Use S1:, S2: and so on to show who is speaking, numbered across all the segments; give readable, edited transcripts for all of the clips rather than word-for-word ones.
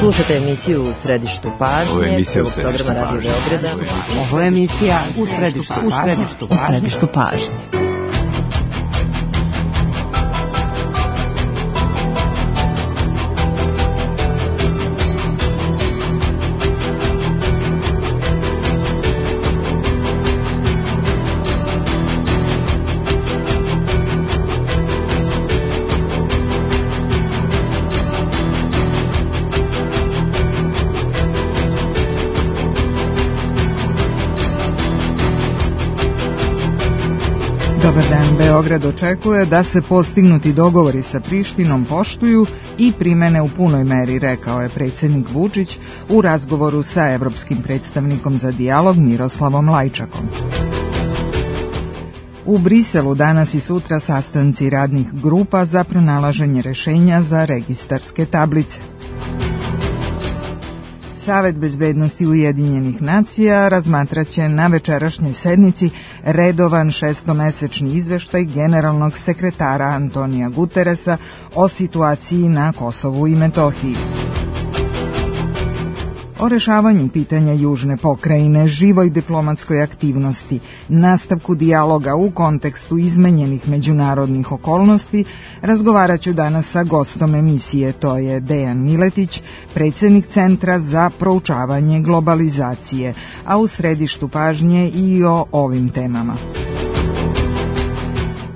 S1: Slušate emisiju U središtu pažnje.
S2: Ovo je emisija U
S1: središtu pažnje. Radio Beograda.
S3: Ovo je emisija U središtu pažnje.
S4: Dobar dan, Beograd očekuje da se postignuti dogovori sa Prištinom poštuju i primene u punoj meri, rekao je predsjednik Vučić u razgovoru sa evropskim predstavnikom za dijalog Miroslavom Lajčakom. U Briselu danas i sutra sastanci radnih grupa za pronalaženje rešenja za registarske tablice. Savet bezbednosti Ujedinjenih nacija razmatraće na večerašnjoj sednici redovan šestomesečni izveštaj generalnog sekretara Antonija Guteresa o situaciji na Kosovu i Metohiji. O rešavanju pitanja južne pokrajine, živoj diplomatskoj aktivnosti, nastavku dijaloga u kontekstu izmenjenih međunarodnih okolnosti, razgovarat ću danas sa gostom emisije, to je Dejan Miletić, predsjednik Centra za proučavanje globalizacije, a u središtu pažnje i o ovim temama.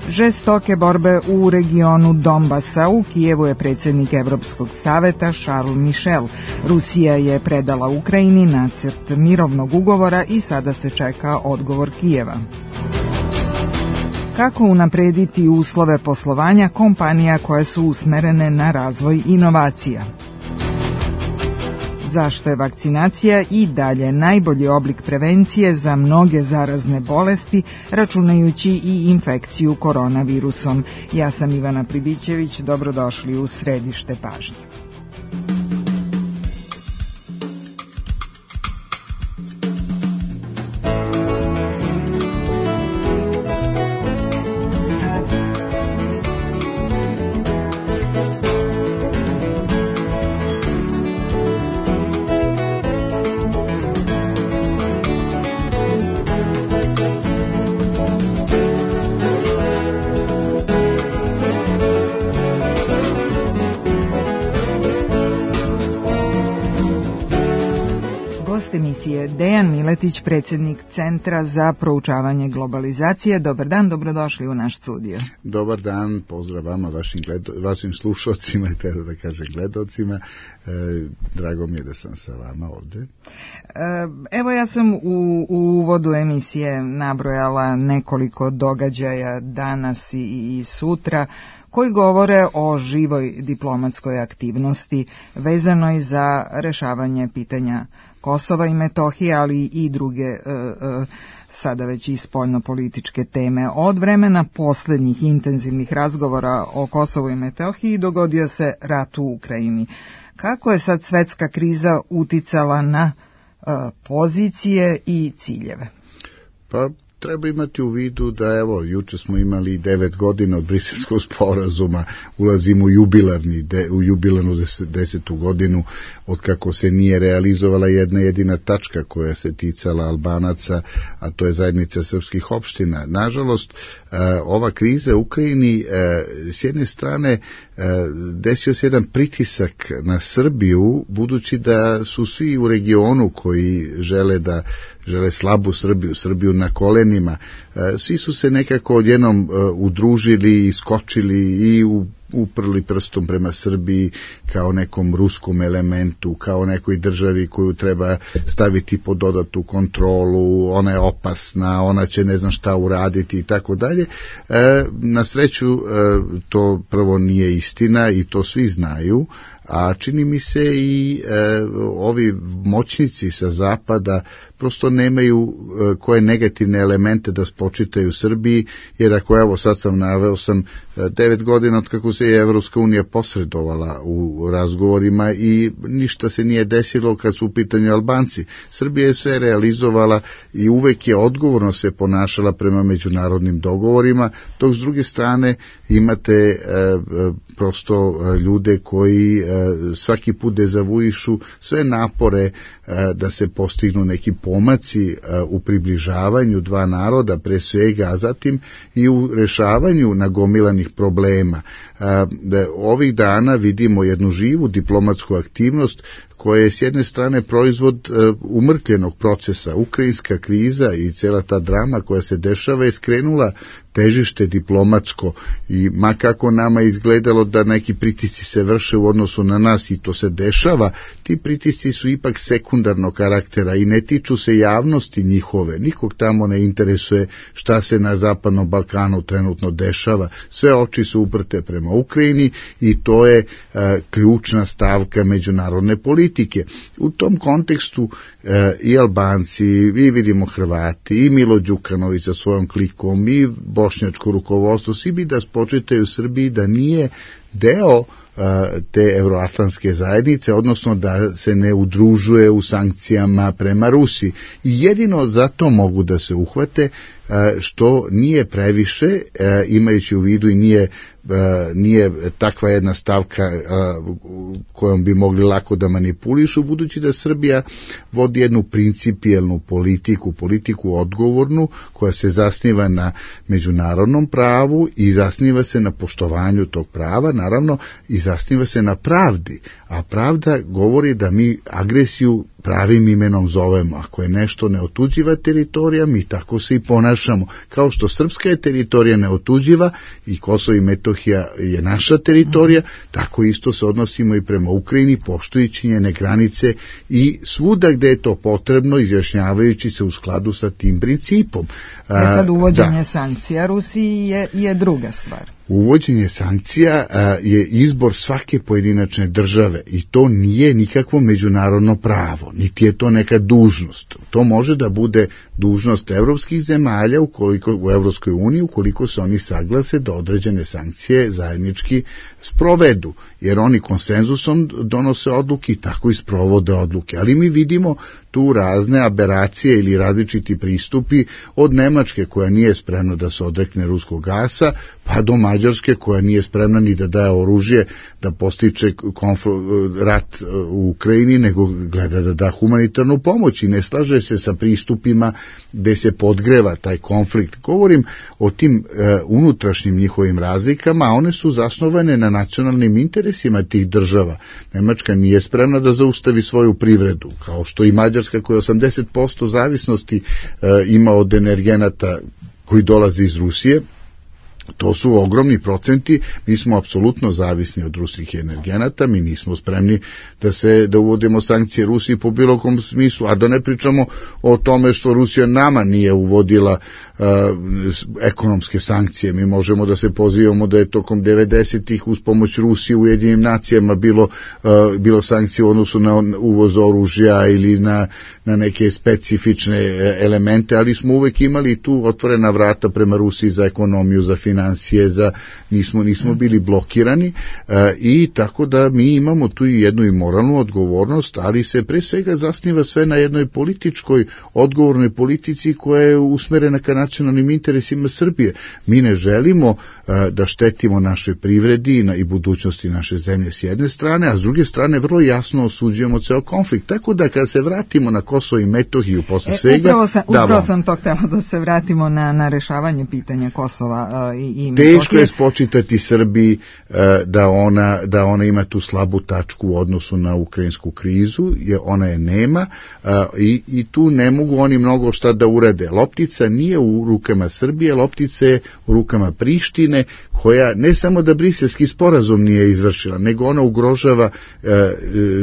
S4: Žestoke borbe u regionu Donbasa. U Kijevu je predsjednik Evropskog saveta Charles Michel. Rusija je predala Ukrajini nacrt mirovnog ugovora i sada se čeka odgovor Kijeva. Kako unaprediti uslove poslovanja kompanija koje su usmerene na razvoj inovacija? Zašto je vakcinacija i dalje najbolji oblik prevencije za mnoge zarazne bolesti, računajući i infekciju koronavirusom? Ja sam Ivana Pribićević, dobrodošli u središte pažnje. Dejan Miletić, predsjednik Centra za proučavanje globalizacije. Dobar dan, dobrodošli u naš studio.
S2: Dobar dan, pozdrav vama, vašim slušalcima i tada da kažem gledalcima. Drago mi je da sam sa vama ovdje.
S4: Evo, ja sam u uvodu emisije nabrojala nekoliko događaja danas i sutra koji govore o živoj diplomatskoj aktivnosti vezanoj za rešavanje pitanja Kosova i Metohije, ali i druge sada već i spoljnopolitičke teme. Od vremena posljednjih intenzivnih razgovora o Kosovu i Metohiji dogodio se rat u Ukrajini. Kako je sad svjetska kriza uticala na pozicije i ciljeve?
S2: Pa treba imati u vidu da, evo, juče smo imali 9 godina od Briselskog sporazuma, ulazimo u jubilarnu 10. godinu od kako se nije realizovala jedna jedina tačka koja se ticala Albanaca, a to je zajednica srpskih opština. Nažalost, ova kriza u Ukrajini s jedne strane desio se jedan pritisak na Srbiju, budući da su svi u regionu koji žele slabu Srbiju na kolenima, svi su se nekako odjednom udružili, iskočili i uprli prstom prema Srbiji kao nekom ruskom elementu, kao nekoj državi koju treba staviti pod dodatnu kontrolu, ona je opasna, ona će ne znam šta uraditi i tako dalje. Na sreću to prvo nije istina i to svi znaju, a čini mi se i ovi moćnici sa zapada prosto nemaju koje negativne elemente da spočitaju Srbiji, jer ako evo sad naveo sam 9 godina od kako se je Evropska unija posredovala u razgovorima i ništa se nije desilo kad su u pitanju Albanci. Srbija je sve realizovala i uvek je odgovorno se ponašala prema međunarodnim dogovorima, dok s druge strane imate prosto ljude koji svaki put dezavuišu sve napore da se postignu neki pomaci u približavanju dva naroda pre svega, a zatim i u rešavanju nagomilanih problema. Ovih dana vidimo jednu živu diplomatsku aktivnost koja je s jedne strane proizvod umrtljenog procesa. Ukrajinska kriza i cela ta drama koja se dešava je skrenula težište diplomatsko i ma kako nama izgledalo da neki pritisci se vrše u odnosu na nas i to se dešava, ti pritisci su ipak sekundarnog karaktera i ne tiču se javnosti njihove. Nikog tamo ne interesuje šta se na Zapadnom Balkanu trenutno dešava. Sve oči su uprte prema Ukrajini i to je ključna stavka međunarodne politike. U tom kontekstu i Albanci, i vidimo Hrvati, i Milo Đukanović sa svojom klikom, i bošnjačko rukovodstvo, svi bi da spočitaju Srbiji da nije deo te euroatlantske zajednice, odnosno da se ne udružuje u sankcijama prema Rusiji. I jedino zato mogu da se uhvate što nije previše, imajući u vidu i nije takva jedna stavka kojom bi mogli lako da manipulišu, budući da Srbija vodi jednu principijelnu politiku odgovornu, koja se zasniva na međunarodnom pravu i zasniva se na poštovanju tog prava, naravno i zasniva se na pravdi, a pravda govori da mi agresiju pravim imenom zovemo. Ako je nešto neotuđiva teritorija, mi tako se i ponašamo. Kao što srpska je teritorija neotuđiva i Kosovo i Metohija je naša teritorija, tako isto se odnosimo i prema Ukrajini, poštujući njene granice i svuda gde je to potrebno, izjašnjavajući se u skladu sa tim principom.
S4: Sad uvođenje sankcija Rusiji je druga stvar.
S2: Uvođenje sankcija je izbor svake pojedinačne države i to nije nikakvo međunarodno pravo, niti je to neka dužnost. To može da bude dužnost evropskih zemalja u Evropskoj uniji ukoliko se oni saglase da određene sankcije zajednički sprovedu, jer oni konsenzusom donose odluke i tako i sprovode odluke. Ali mi vidimo tu razne aberacije ili različiti pristupi od Nemačke koja nije spremna da se odrekne ruskog gasa, pa do Mađarske koja nije spremna ni da daje oružje da postiče rat u Ukrajini, nego gleda da da humanitarnu pomoć i ne slaže se sa pristupima gde se podgreva taj konflikt. Govorim o tim unutrašnjim njihovim razlikama, a one su zasnovane na nacionalnim interesima tih država. Nemačka nije spremna da zaustavi svoju privredu, kao što i Mađarska koja 80% zavisnosti ima od energenata koji dolaze iz Rusije. To su ogromni procenti, mi smo apsolutno zavisni od ruskih energenata, mi nismo spremni da uvodimo sankcije Rusiji po bilo kom smislu, a da ne pričamo o tome što Rusija nama nije uvodila ekonomske sankcije. Mi možemo da se pozivamo da je tokom 90-ih uz pomoć Rusije u Ujedinjenim nacijama bilo sankcije u odnosu na uvoz oružja ili na neke specifične elemente, ali smo uvek imali tu otvorena vrata prema Rusiji za ekonomiju, za financije, nismo bili blokirani i tako da mi imamo tu i jednu i moralnu odgovornost, ali se pre svega zasniva sve na jednoj političkoj, odgovornoj politici koja je usmerena ka nacionalnim interesima Srbije. Mi ne želimo da štetimo našoj privredi i budućnosti naše zemlje s jedne strane, a s druge strane vrlo jasno osuđujemo ceo konflikt. Tako da kada se vratimo na Kosovo i Metohiju posle svega...
S4: Upravo sam to htjela da se vratimo na rešavanje pitanja Kosova i Metohije.
S2: Teško je spočitati Srbiji da ona ima tu slabu tačku u odnosu na ukrajinsku krizu, jer ona je nema i tu ne mogu oni mnogo šta da urede. Loptica nije u rukama Srbije, loptica je u rukama Prištine, koja ne samo da briselski sporazum nije izvršila, nego ona ugrožava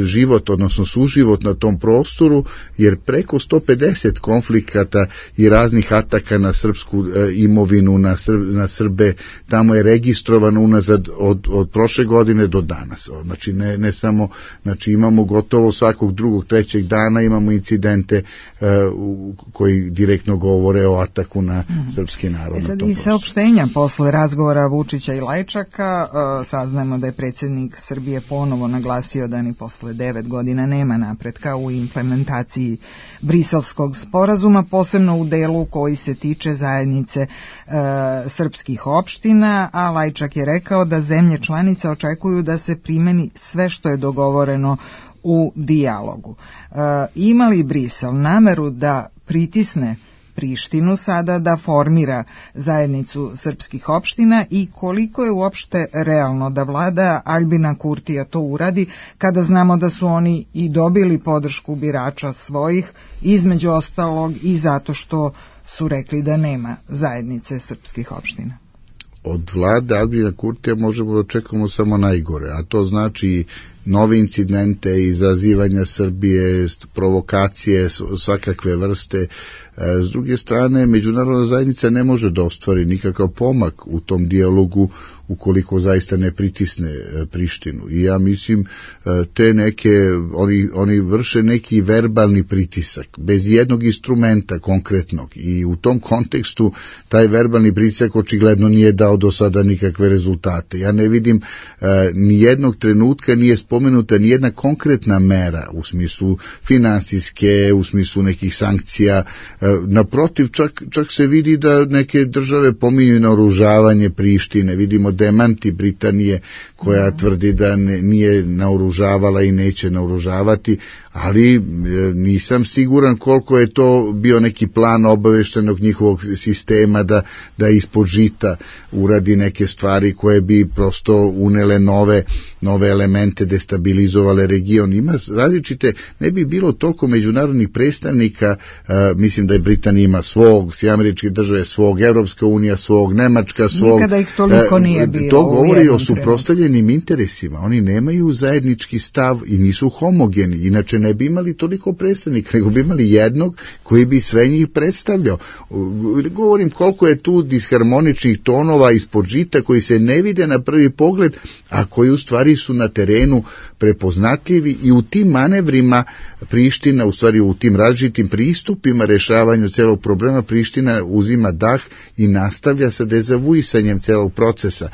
S2: život, odnosno suživot na tom prostoru, jer preko 150 konflikata i raznih ataka na srpsku imovinu, na Srbe tamo je registrovano unazad od prošle godine do danas. Znači ne samo, znači imamo gotovo svakog drugog, trećeg dana imamo incidente koji direktno govore o ataku na srpski narod.
S4: Sad i saopštenja posle razgovora Vučića i Lajčaka saznajemo da je predsjednik Srbije ponovo naglasio da ni posle 9 godina nema napretka u implementaciji Briselskog sporazuma, posebno u delu koji se tiče zajednice srpskih opština, a Lajčak je rekao da zemlje članice očekuju da se primeni sve što je dogovoreno u dijalogu. Ima li Brisel nameru da pritisne Prištinu sada da formira zajednicu srpskih opština i koliko je uopšte realno da vlada Aljbina Kurtija to uradi kada znamo da su oni i dobili podršku birača svojih, između ostalog i zato što su rekli da nema zajednice srpskih opština?
S2: Od vlade Aljbina Kurtija možemo da očekujemo samo najgore, a to znači nove incidente, izazivanja Srbije, provokacije svakakve vrste. S druge strane, međunarodna zajednica ne može da ostvari nikakav pomak u tom dijalogu ukoliko zaista ne pritisne Prištinu. I ja mislim te neke, oni vrše neki verbalni pritisak, bez jednog instrumenta konkretnog. I u tom kontekstu taj verbalni pritisak očigledno nije dao do sada nikakve rezultate. Ja ne vidim ni jednog trenutka nije spomenuta ni jedna konkretna mera u smislu finansijske, u smislu nekih sankcija. Naprotiv, čak se vidi da neke države pominju naoružavanje Prištine. Vidimo demanti Britanije koja tvrdi da nije naoružavala i neće naoružavati, ali nisam siguran koliko je to bio neki plan obaveštenog njihovog sistema da ispod žita uradi neke stvari koje bi prosto unele nove elemente, destabilizovale region. Ima različite, ne bi bilo toliko međunarodnih predstavnika, mislim da je Britanija ima svog, Sjedinjene Američke Države svog, Evropska unija svog, Nemačka svog.
S4: Nikada ih toliko nije bilo.
S2: To govori o suprotstavljenim interesima. Oni nemaju zajednički stav i nisu homogeni. Inače ne bi imali toliko predstavnika, nego bi imali jednog koji bi sve njih predstavljao. Govorim koliko je tu disharmoničnih tonova ispod žita koji se ne vide na prvi pogled, a koji u stvari su na terenu prepoznatljivi i u tim manevrima Priština, u stvari u tim različitim pristupima rešavanju celog problema, Priština uzima dah i nastavlja sa dezavuisanjem celog procesa.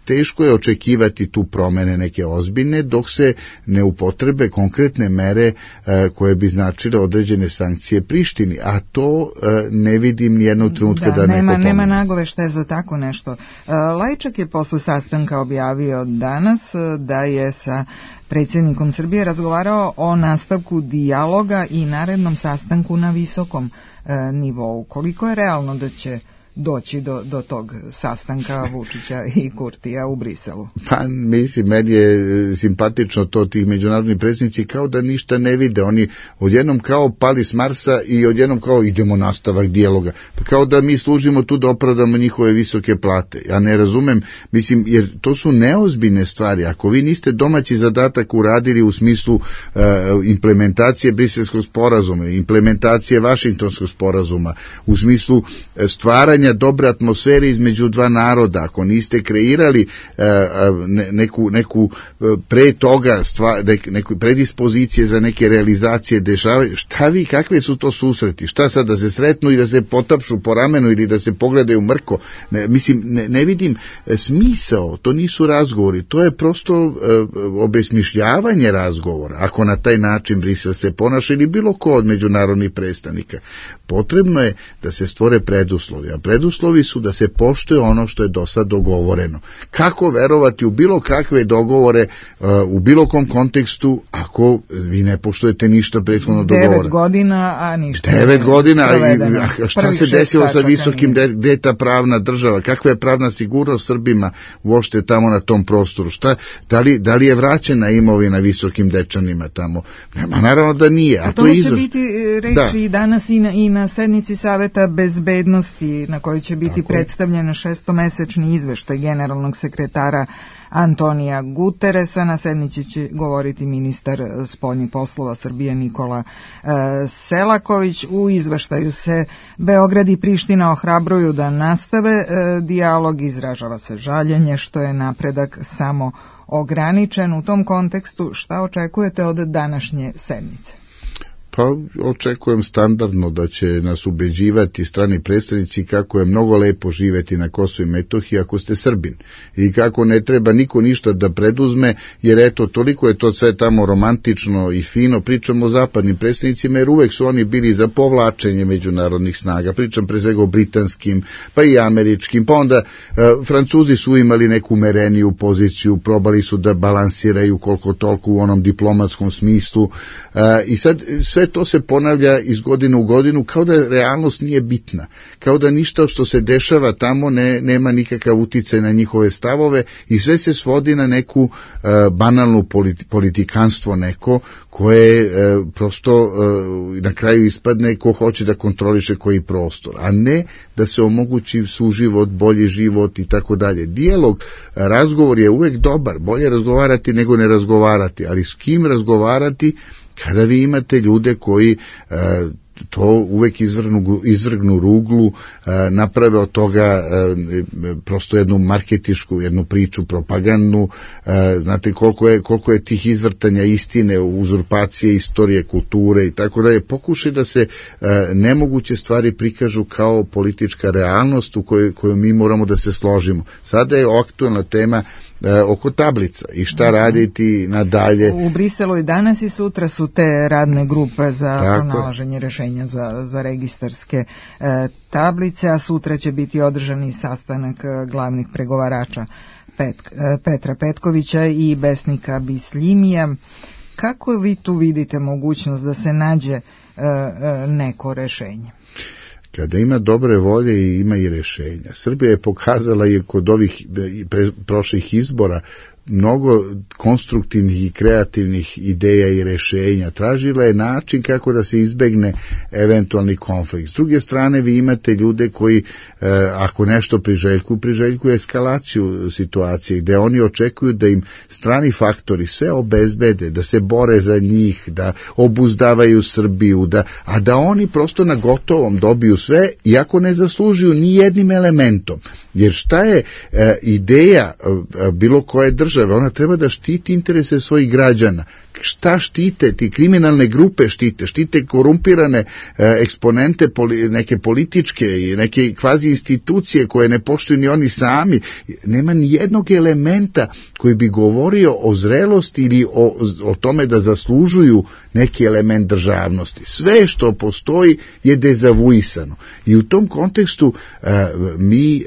S2: Teško je očekivati tu promene neke ozbiljne dok se ne upotrebe konkretne mere koje bi značile određene sankcije Prištini, a to ne vidim nijednog trenutka da neko pomene.
S4: Nema nagoveštaja za tako nešto. Lajčak je posle sastanka objavio danas da je sa predsjednikom Srbije razgovarao o nastavku dijaloga i narednom sastanku na visokom nivou. Koliko je realno da će doći do tog sastanka Vučića i Kurtija u Briselu?
S2: Pa mislim, meni je simpatično to, tih međunarodni predsjednici kao da ništa ne vide, oni odjednom kao pali s Marsa i odjednom kao idemo nastavak dijaloga, pa kao da mi služimo tu da opravdamo njihove visoke plate. Ja ne razumem, mislim, jer to su neozbiljne stvari. Ako vi niste domaći zadatak uradili u smislu implementacije Briselskog sporazuma, implementacije Vašingtonskog sporazuma, u smislu stvaranja dobre atmosfere između dva naroda, ako niste kreirali neku pre toga neku predispozicije za neke realizacije dešavaju, šta vi, kakve su to susreti? Šta sad, da se sretnu i da se potapšu po ramenu ili da se pogledaju mrko? Ne vidim smisao, to nisu razgovori, to je prosto obesmišljavanje razgovora, ako na taj način Brisel se ponaša ili bilo ko od međunarodnih predstavnika. Potrebno je da se stvore preduslovi, a preduslovi su da se poštuje ono što je do sad dogovoreno. Kako verovati u bilo kakve dogovore u bilo kom kontekstu ako vi ne poštujete ništa prethodno dogovora?
S4: 9 godina, a ništa.
S2: 9 godina, a šta se desilo sa visokim, gde je ta pravna država? Kakva je pravna sigurnost Srbima uopšte tamo na tom prostoru? Da li je vraćena imovina visokim Dečanima tamo? Naravno da nije.
S4: A to će biti reći danas i na sednici Saveta bezbednosti na kojoj će biti predstavljen šestomesečni izveštaj generalnog sekretara Antonija Guteresa. Na sednici će govoriti ministar spoljnih poslova Srbije Nikola Selaković. U izveštaju se Beograd i Priština ohrabruju da nastave dijalog, izražava se žaljenje što je napredak samo ograničen. U tom kontekstu šta očekujete od današnje sednice?
S2: Pa očekujem standardno da će nas ubeđivati strani predstavnici kako je mnogo lepo živeti na Kosovu i Metohiji ako ste Srbin i kako ne treba niko ništa da preduzme, jer eto, toliko je to sve tamo romantično i fino. Pričamo o zapadnim predstavnicima, jer uvek su oni bili za povlačenje međunarodnih snaga. Pričam pre svega o britanskim, pa i američkim, pa onda Francuzi su imali neku umereniju poziciju, probali su da balansiraju koliko toliko u onom diplomatskom smislu i sad sve to se ponavlja iz godine u godinu kao da realnost nije bitna, kao da ništa što se dešava tamo nema nikakav uticaj na njihove stavove i sve se svodi na neku banalnu politikanstvo neko koje prosto na kraju ispadne ko hoće da kontroliše koji prostor, a ne da se omogući suživot, bolji život i tako dalje. Dijalog, razgovor je uvek dobar, bolje razgovarati nego ne razgovarati, ali s kim razgovarati kada vi imate ljude koji to uvek izvrgnu ruglu, naprave od toga prosto jednu marketišku, jednu priču propagandnu. Znate koliko je tih izvrtanja istine, uzurpacije, istorije, kulture i tako da je pokušaj da se nemoguće stvari prikažu kao politička realnost u kojoj mi moramo da se složimo. Sada je aktualna tema oko tablica i šta raditi nadalje.
S4: U Briselu i danas i sutra su te radne grupe za pronalaženje rešenja za registarske tablice, a sutra će biti održani sastanak glavnih pregovarača Petra Petkovića i Besnika Bisljimija. Kako vi tu vidite mogućnost da se nađe neko rešenje?
S2: Kada ima dobre volje i ima i rešenja. Srbija je pokazala i kod ovih prošlih izbora mnogo konstruktivnih i kreativnih ideja i rešenja. Tražila je način kako da se izbegne eventualni konflikt. S druge strane, vi imate ljude koji, ako nešto priželjkuju eskalaciju situacije, gde oni očekuju da im strani faktori sve obezbede, da se bore za njih, da obuzdavaju Srbiju, a da oni prosto na gotovom dobiju sve, iako ne zaslužuju ni jednim elementom. Jer šta je ideja bilo koje države? Ona treba da štiti interese svojih građana. Šta štite? Ti kriminalne grupe štite korumpirane eksponente neke političke i neke kvazi institucije koje ne poštuju ni oni sami. Nema ni jednog elementa koji bi govorio o zrelosti ili o tome da zaslužuju neki element državnosti. Sve što postoji je dezavuisano. I u tom kontekstu mi,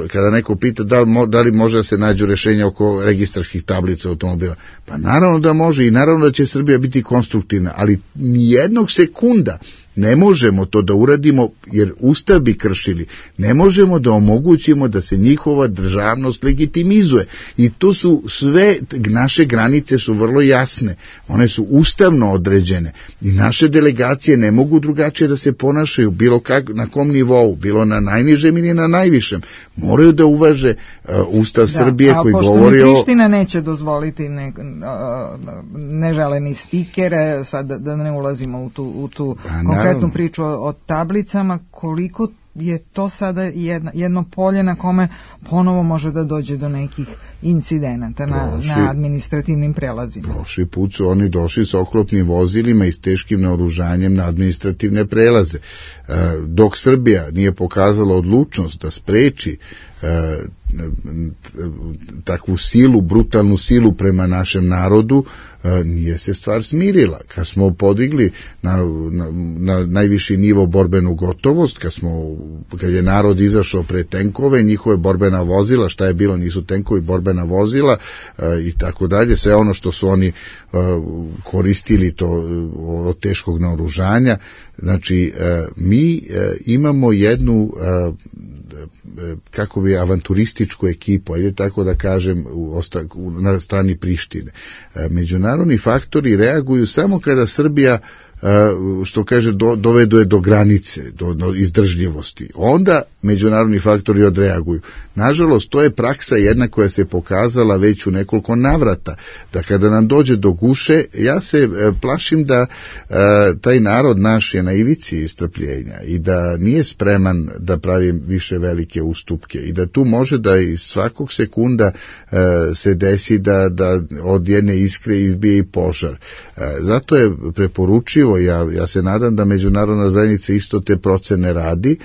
S2: kada neko pita da li može da se nađu rešenja oko registarskih tablica automobila, pa naravno da može i naravno da će Srbija biti konstruktivna, ali nijednog sekunda ne možemo to da uradimo jer Ustav bi kršili. Ne možemo da omogućimo da se njihova državnost legitimizuje. I tu su sve, naše granice su vrlo jasne. One su ustavno određene. I naše delegacije ne mogu drugačije da se ponašaju bilo na kom nivou, bilo na najnižem ili na najvišem. Moraju da uvaže Ustav Srbije koji govori o...
S4: Pošto Priština neće dozvoliti neželeni stikere, sad da ne ulazimo u tu konkretnu priču o tablicama, koliko je to sada jedno polje na kome ponovo može da dođe do nekih incidenata na administrativnim prelazima.
S2: Prošli put su oni došli sa oklopnim vozilima i s teškim naoružanjem na administrativne prelaze. Dok Srbija nije pokazala odlučnost da spreči takvu silu, brutalnu silu prema našem narodu, nije se stvar smirila. Kad smo podigli na najviši nivo borbenu gotovost, kad je narod izašao pred tenkove, njihove borbena vozila, šta je bilo, nisu tenkovi, borbena vozila i tako dalje, sve ono što su oni koristili to od teškog naoružanja. Znači, mi imamo jednu avanturističku ekipu, ajde tako da kažem, na strani Prištine. Međunarodni faktori reaguju samo kada Srbija što kaže, doveduje do granice, do izdržljivosti. Onda međunarodni faktori odreaguju. Nažalost, to je praksa jedna koja se pokazala već u nekoliko navrata, da kada nam dođe do guše, ja se plašim da taj narod naš je na ivici strpljenja i da nije spreman da pravi više velike ustupke i da tu može da iz svakog sekunda se desi da od jedne iskre izbije i požar. Zato je preporučivo, ja se nadam da međunarodna zajednica isto te procene radi,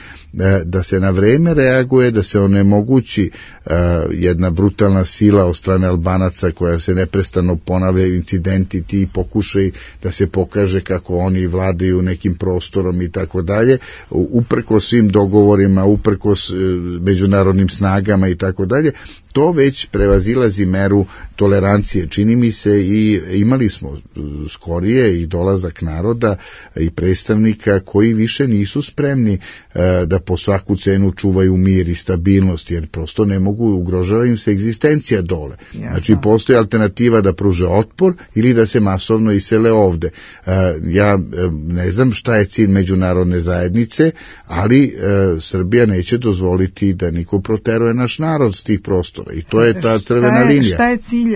S2: da se na vreme reaguje, da se onemogući jedna brutalna sila od strane Albanaca koja se neprestano ponavljaju incidenti, ti pokušaj da se pokaže kako oni vladaju nekim prostorom i tako dalje, uprkos svim dogovorima, uprkos međunarodnim snagama i tako dalje. To već prevazilazi meru tolerancije. Čini mi se i imali smo skorije i dolazak naroda i predstavnika koji više nisu spremni da po svaku cenu čuvaju mir i stabilnost, jer prosto ne mogu, ugrožava im se egzistencija dole. Znači postoji alternativa da pruže otpor ili da se masovno isele ovde. Ja ne znam šta je cilj međunarodne zajednice, ali Srbija neće dozvoliti da niko proteruje naš narod s tih prostora. I to je ta crvena linija.
S4: Šta je cilj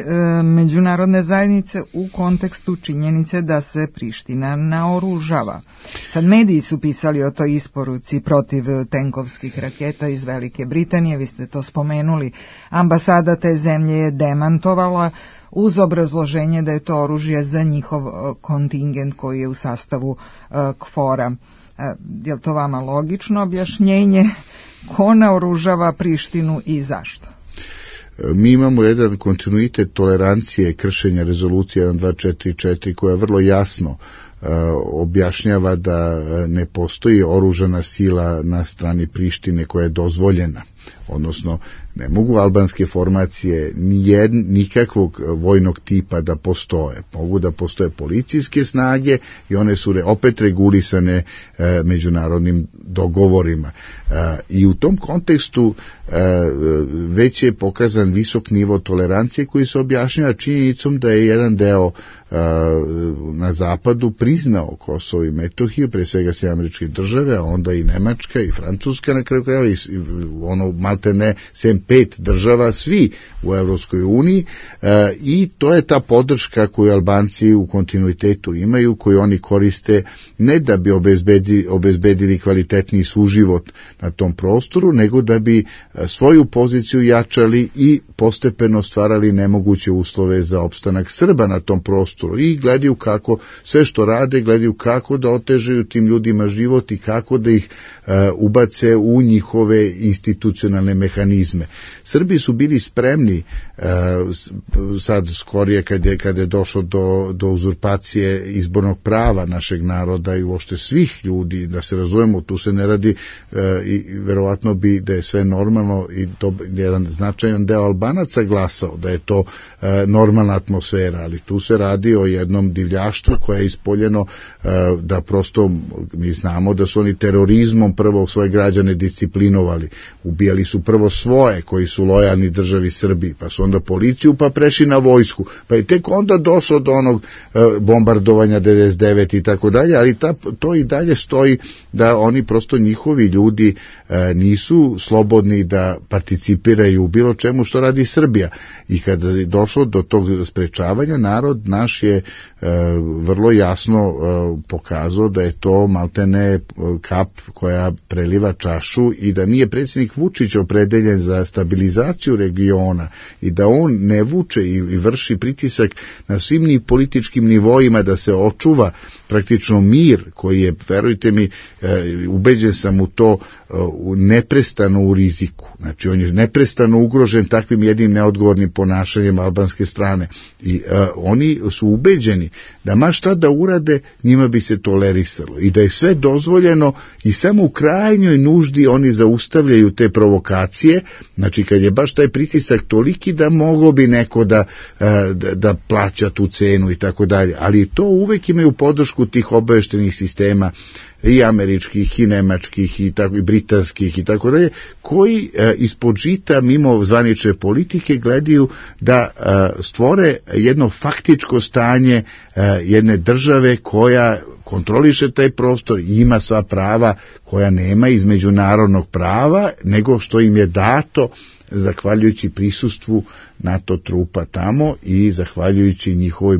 S4: međunarodne zajednice u kontekstu činjenice da se Priština naoružava? Sad mediji su pisali o toj isporuci protiv tenkovskih raketa iz Velike Britanije, vi ste to spomenuli. Ambasada te zemlje je demantovala uz obrazloženje da je to oružje za njihov kontingent koji je u sastavu KFOR-a. Je li to vama logično objašnjenje? Ko naoružava Prištinu i zašto?
S2: Mi imamo jedan kontinuitet tolerancije kršenja rezolucije 1244 koja vrlo jasno objašnjava da ne postoji oružana sila na strani Prištine koja je dozvoljena. Odnosno, ne mogu albanske formacije nikakvog vojnog tipa da postoje. Mogu da postoje policijske snage i one su opet regulisane međunarodnim dogovorima. I u tom kontekstu već je pokazan visok nivo tolerancije koji se objašnjava činjenicom da je jedan deo na zapadu priznao Kosovo i Metohiju, pre svega SAD, a onda i Nemačka i Francuska na kraju krajeva i ono maltene sem 5 država, svi u Evropskoj uniji, i to je ta podrška koju Albanci u kontinuitetu imaju, koju oni koriste ne da bi obezbedili kvalitetniji suživot na tom prostoru, nego da bi svoju poziciju jačali i postepeno stvarali nemoguće uslove za opstanak Srba na tom prostoru i gledaju kako sve što rade, gledaju kako da otežaju tim ljudima život i kako da ih ubace u njihove institucionalne mehanizme. Srbi su bili spremni sad skorije kad je došlo do uzurpacije izbornog prava našeg naroda i uopšte svih ljudi, da se razumemo, tu se ne radi i verovatno bi da je sve normalno i jedan značajan deo Albanaca glasao da je to normalna atmosfera, ali tu se radi o jednom divljaštvu koje je ispoljeno da prosto mi znamo da su oni terorizmom prvo svoje građane disciplinovali, ubijali su prvo svoje koji su lojalni državi Srbiji, pa su onda policiju, pa prešli na vojsku, pa je tek onda došlo do onog bombardovanja 99 i tako dalje, ali to i dalje stoji da oni prosto njihovi ljudi nisu slobodni da participiraju u bilo čemu što radi Srbija. I kada je došlo do tog sprečavanja, narod naš je vrlo jasno pokazao da je to maltene kap koja preliva čašu i da nije predsjednik Vučić opredeljen za stabilizaciju regiona i da on ne vuče i vrši pritisak na svim političkim nivoima da se očuva praktično mir koji je, verujte mi, ubeđen sam u to, neprestano u riziku. Znači on je neprestano ugrožen takvim jednim neodgovornim ponašanjem albanske strane i oni su ubeđeni da ma šta da urade njima bi se tolerisalo i da je sve dozvoljeno i samo u krajnjoj nuždi oni zaustavljaju te provokacije, znači kad je baš taj pritisak toliki da moglo bi neko da plaća tu cenu i tako dalje, ali to uvek imaju podršku tih obaveštenih sistema i američkih i nemačkih i tako i britanskih i tako dalje, koji ispod žita mimo zvanične politike gledaju da stvore jedno faktičko stanje jedne države koja kontroliše taj prostor i ima sva prava koja nema iz međunarodnog prava, nego što im je dato zahvaljujući prisustvu NATO trupa tamo i zahvaljujući njihovoj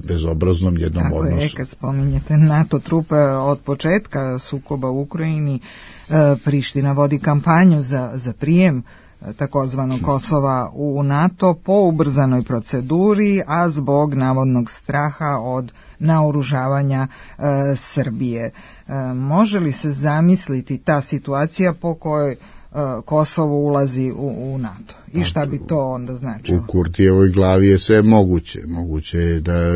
S2: bezobraznom jednom odnosu.
S4: Tako je, kad spominjete NATO trupe od početka sukoba u Ukrajini, Priština vodi kampanju za prijem takozvanog Kosova u NATO po ubrzanoj proceduri, a zbog navodnog straha od naoružavanja Srbije. Može li se zamisliti ta situacija po kojoj Kosovo ulazi u NATO? I šta bi to onda značilo?
S2: U Kurtijevoj glavi je sve moguće. Moguće je da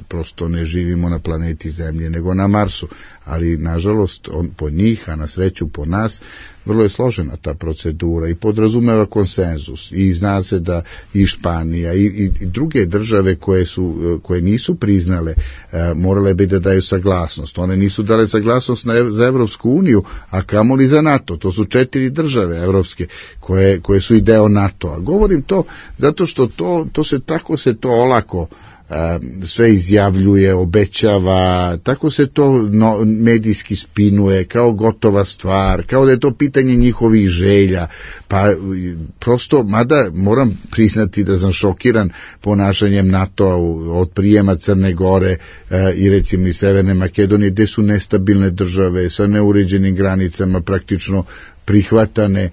S2: prosto ne živimo na planeti Zemlje, nego na Marsu. Ali, nažalost, po njih, a na sreću po nas, vrlo je složena ta procedura i podrazumeva konsenzus. I zna se da i Španija i druge države koje nisu priznale, morale bi da daju saglasnost. One nisu dale saglasnost za Evropsku uniju, a kamoli za NATO. To su 4 države evropske koje su i deo NATO-a. Govorim to zato što se to olako sve izjavljuje, obećava, tako se to medijski spinuje kao gotova stvar, kao da je to pitanje njihovih želja, pa prosto, mada moram priznati da sam šokiran ponašanjem NATO-a od prijema Crne Gore i recimo i Severne Makedonije, gde su nestabilne države sa neuređenim granicama praktično prihvatane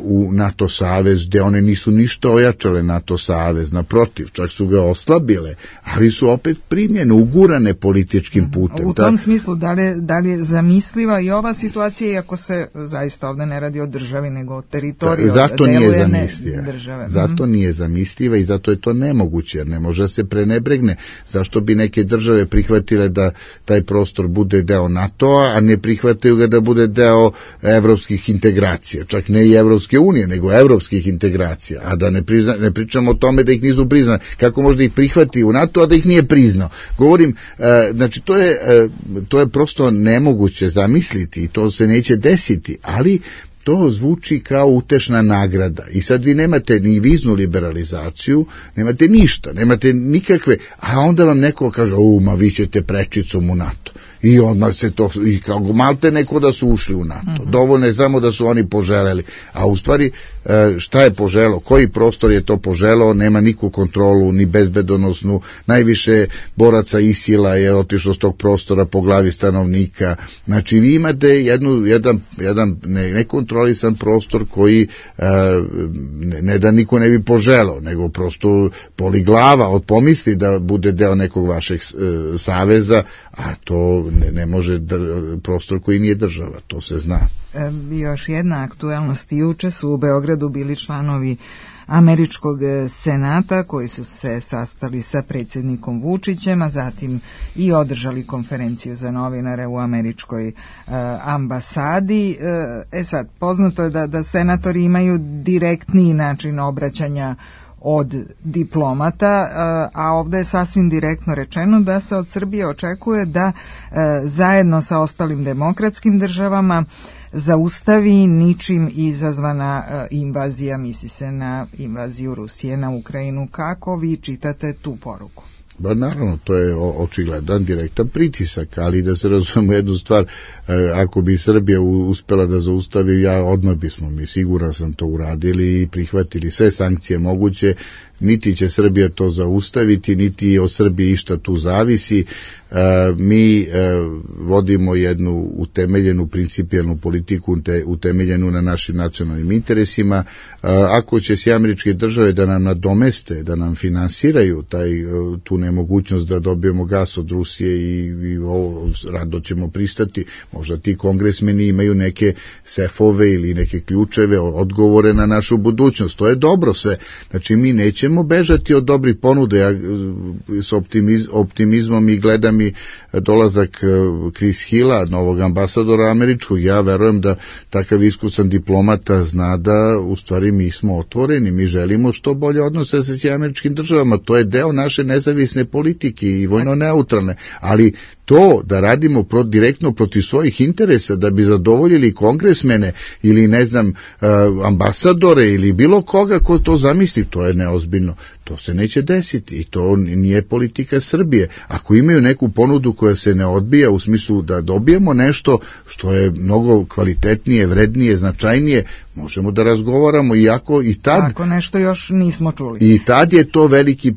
S2: u NATO savez, gde one nisu ništa ojačale NATO savez, naprotiv, čak su ga oslabile, ali su opet primljene, ugurane političkim putem.
S4: U tom smislu, da li je zamisliva i ova situacija, iako se zaista ovde ne radi o državi, nego o teritoriju,
S2: zato nije zamisliva i zato je to nemoguće, jer ne može se prenebregne. Zašto bi neke države prihvatile da taj prostor bude deo NATO-a, a ne prihvataju ga da bude deo evropskih integracija, čak ne i Evropske unije, nego evropskih integracija, a da ne pričamo o tome da ih nisu priznali. Kako možda ih prihvati u NATO, a da ih nije priznao? Govorim, znači to je prosto nemoguće zamisliti i to se neće desiti, ali to zvuči kao utešna nagrada i sad vi nemate ni viznu liberalizaciju, nemate ništa, nemate nikakve, a onda vam neko kaže, ma vi ćete prečicom u NATO. I odmah se to, i kao malte neko da su ušli u NATO. Dovoljno je samo da su oni poželeli. A u stvari, šta je poželo? Koji prostor je to poželo? Nema niku kontrolu, ni bezbedonosnu. Najviše boraca ISIL-a je otišlo s tog prostora po glavi stanovnika. Znači, vi imate jedan nekontrolisan prostor koji ne da niko ne bi poželo, nego prosto boli glava od pomisli da bude deo nekog vašeg saveza, a to ne može prostor koji nije država, to se zna.
S4: Još jedna aktuelnost, juče su u Beogradu bili članovi Američkog senata koji su se sastali sa predsjednikom Vučićem, a zatim i održali konferenciju za novinare u američkoj ambasadi. Sad, poznato je da senatori imaju direktniji način obraćanja od diplomata, a ovdje je sasvim direktno rečeno da se od Srbije očekuje da zajedno sa ostalim demokratskim državama zaustavi ničim izazvana invazija, misli se na invaziju Rusije na Ukrajinu. Kako vi čitate tu poruku?
S2: Ba naravno, to je očigledan direktan pritisak, ali da se razumemo jednu stvar, ako bi Srbija uspela da zaustavi, odmah bismo mi, siguran sam, to uradili i prihvatili sve sankcije moguće, niti će Srbija to zaustaviti, niti od Srbije išta tu zavisi. Mi vodimo jednu utemeljenu principijelnu politiku, utemeljenu na našim nacionalnim interesima. Ako će se američke države da nam nadomeste, da nam finansiraju tu nemogućnost da dobijemo gas od Rusije i ovo rado ćemo pristati, možda ti kongresmeni imaju neke sefove ili neke ključeve, odgovore na našu budućnost. To je dobro sve. Znači mi nećemo bežati od dobrih ponude. Ja s optimizmom i gledam i dolazak Chris Hilla, novog ambasadora američkog. Ja verujem da takav iskusan diplomata zna da u stvari mi smo otvoreni, mi želimo što bolje odnose sa američkim državama. To je deo naše nezavisne politike i vojno neutralne, ali to da radimo direktno protiv svojih interesa, da bi zadovoljili kongresmene ili ne znam ambasadore ili bilo koga ko to zamisli, to je neozbiljno. To se neće desiti i to nije politika Srbije. Ako imaju neku ponudu koja se ne odbija u smislu da dobijemo nešto što je mnogo kvalitetnije, vrednije, značajnije, možemo da razgovaramo, iako i tad...
S4: Ako nešto još nismo čuli.
S2: I tad je to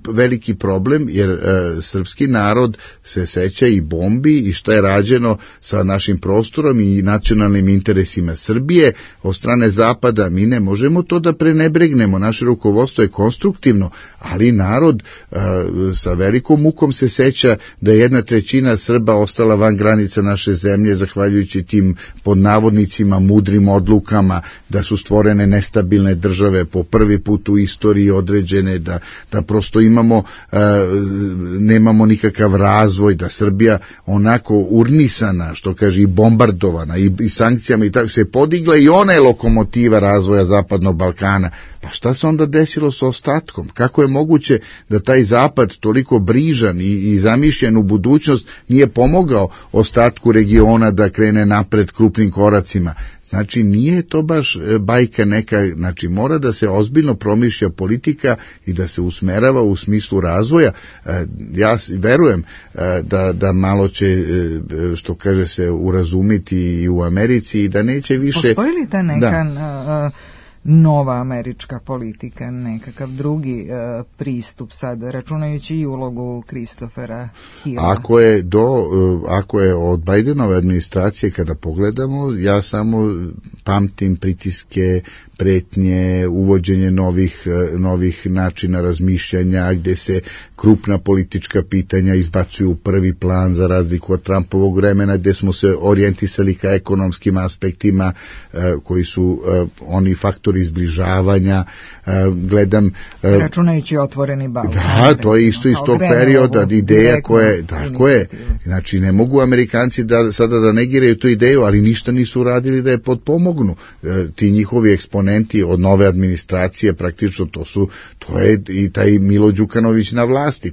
S2: veliki problem, jer srpski narod se seća i bombi i šta je rađeno sa našim prostorom i nacionalnim interesima Srbije od strane Zapada. Mi ne možemo to da prenebregnemo, naše rukovodstvo je konstruktivno, ali narod sa velikom mukom se seća da je 1/3 Srba ostala van granica naše zemlje zahvaljujući tim pod navodnicima mudrim odlukama, da su stvorene nestabilne države po prvi put u istoriji određene, da prosto nemamo nikakav razvoj, da Srbija onako urnisana, što kaže, i bombardovana i sankcijama i tako se podigla i ona je lokomotiva razvoja Zapadnog Balkana. Pa šta se onda desilo sa ostatkom? Kako je moguće da taj Zapad toliko brižan i zamišljen u budućnost nije pomogao ostatku regiona da krene napred krupnim koracima? Znači, nije to baš bajka neka, znači mora da se ozbiljno promišlja politika i da se usmerava u smislu razvoja. Ja verujem da malo će, što kaže se, urazumiti i u Americi i da neće više...
S4: Postoji li ta neka... nova američka politika, nekakav drugi pristup sad, računajući i ulogu Christophera Hilla?
S2: Ako je od Bidenove administracije kada pogledamo, ja samo pamtim pritiske, pretnje, uvođenje novih načina razmišljanja, gde se krupna politička pitanja izbacuju u prvi plan za razliku od Trumpovog vremena, gde smo se orijentisali ka ekonomskim aspektima koji su oni faktori izbližavanja. Gledam...
S4: Računajući otvoreni Balkan.
S2: Da, to je isto iz tog perioda, ideja koja... Tako je. Znači, ne mogu Amerikanci sada da negiraju tu ideju, ali ništa nisu uradili da je potpomognu. Ti njihovi eksponenti od nove administracije, praktično to je i taj Milo Đukanović na vlasti.